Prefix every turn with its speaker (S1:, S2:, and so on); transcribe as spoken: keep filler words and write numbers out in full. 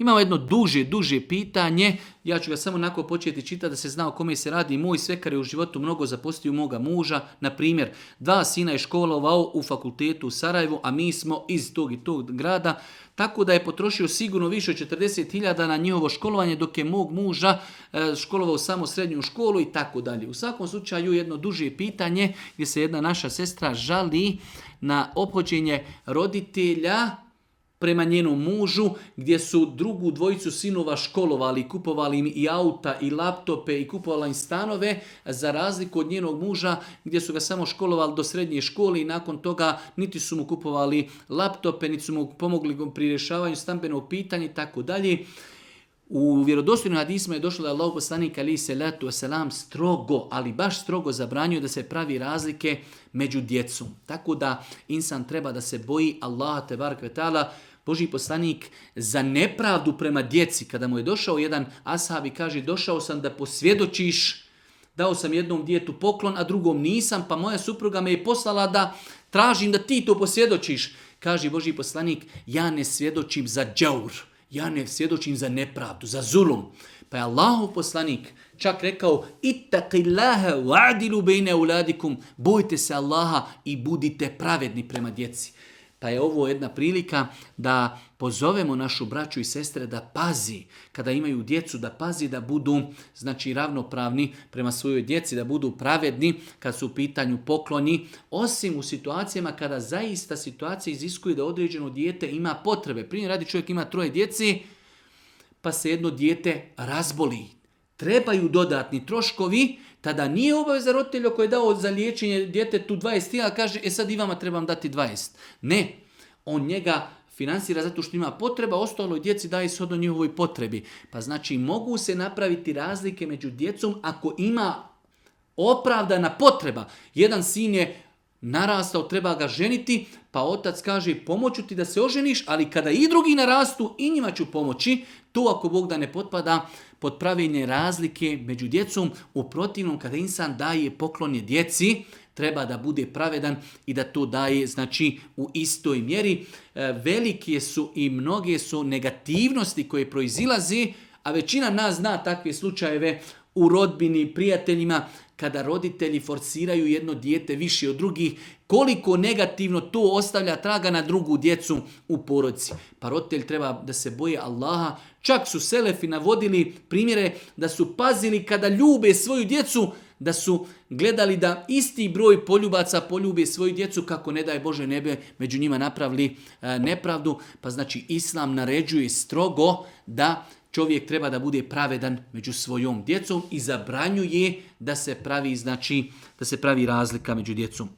S1: Imamo jedno duže, duže pitanje, ja ću ga samo onako početi čitati da se zna o kome se radi. Moj svekar je u životu mnogo zapostio moga muža. Na primjer, dva sina je školovao u fakultetu u Sarajevu, a mi smo iz tog i tog grada, tako da je potrošio sigurno više od četrdeset hiljada na njihovo školovanje, dok je mog muža školovao samo srednju školu i tako dalje. U svakom slučaju jedno duže pitanje gdje se jedna naša sestra žali na ophođenje roditelja prema njenom mužu, gdje su drugu dvojicu sinova školovali, kupovali im i auta i laptope i kupovali im stanove, za razliku od njenog muža gdje su ga samo školovali do srednje škole i nakon toga niti su mu kupovali laptope, niti su mu pomogli pri rješavanju stambenog pitanja i tako dalje. U vjerodostojnim hadisima je došlo da Allahov poslanik alejhi selatu vesselam strogo, ali baš strogo zabranjuje da se pravi razlike među djecom. Tako da insan treba da se boji Allaha tebarek ve taala. Božji poslanik za nepravdu prema djeci, kada mu je došao jedan ashab i kaže došao sam da posvjedočiš, dao sam jednom djetetu poklon, a drugom nisam, pa moja supruga me je poslala da tražim da ti to posvjedočiš. Kaže Božji poslanik, ja ne svjedočim za džaur, ja ne svjedočim za nepravdu, za zulum. Pa je Allahov poslanik čak rekao, ittaqillaha wa'dilu bejne auladikum, bojte se Allaha i budite pravedni prema djeci. Pa je ovo jedna prilika da pozovemo našu braću i sestre da pazi, kada imaju djecu, da pazi da budu znači ravnopravni prema svojoj djeci, da budu pravedni kad su u pitanju pokloni, osim u situacijama kada zaista situacija iziskuje da određeno dijete ima potrebe. Primjer radi, čovjek ima troje djeci, pa se jedno dijete razboli. Trebaju dodatni troškovi, tada nije obaveza roditelja koji je dao za liječenje djetetu dvadeset hiljada, kaže, e sad i vama trebam dati dvadeset. Ne, on njega finansira zato što ima potreba, ostaloj djeci daje shodno njihovoj potrebi. Pa znači mogu se napraviti razlike među djecom ako ima opravdana potreba. Jedan sin je narastao, treba ga ženiti, pa otac kaže pomoću ti da se oženiš, ali kada i drugi narastu i njima ću pomoći, to ako Bog da ne potpada pod pravilne razlike među djecom. U protivnom, kada insan daje poklonje djeci, treba da bude pravedan i da to daje znači u istoj mjeri. E, velike su i mnoge su negativnosti koje proizilazi, a većina nas zna takve slučajeve u rodbini, prijateljima, kada roditelji forsiraju jedno dijete više od drugih, koliko negativno to ostavlja traga na drugu djecu u porodici. Pa roditelj treba da se boje Allaha. Čak su selefi navodili primjere da su pazili kada ljube svoju djecu, da su gledali da isti broj poljubaca poljube svoju djecu, kako ne daj Bože ne bi među njima napravili e, nepravdu. Pa znači Islam naređuje strogo da čovjek treba da bude pravedan među svojom djecom i zabranjuje da se pravi, znači, da se pravi razlika među djecom.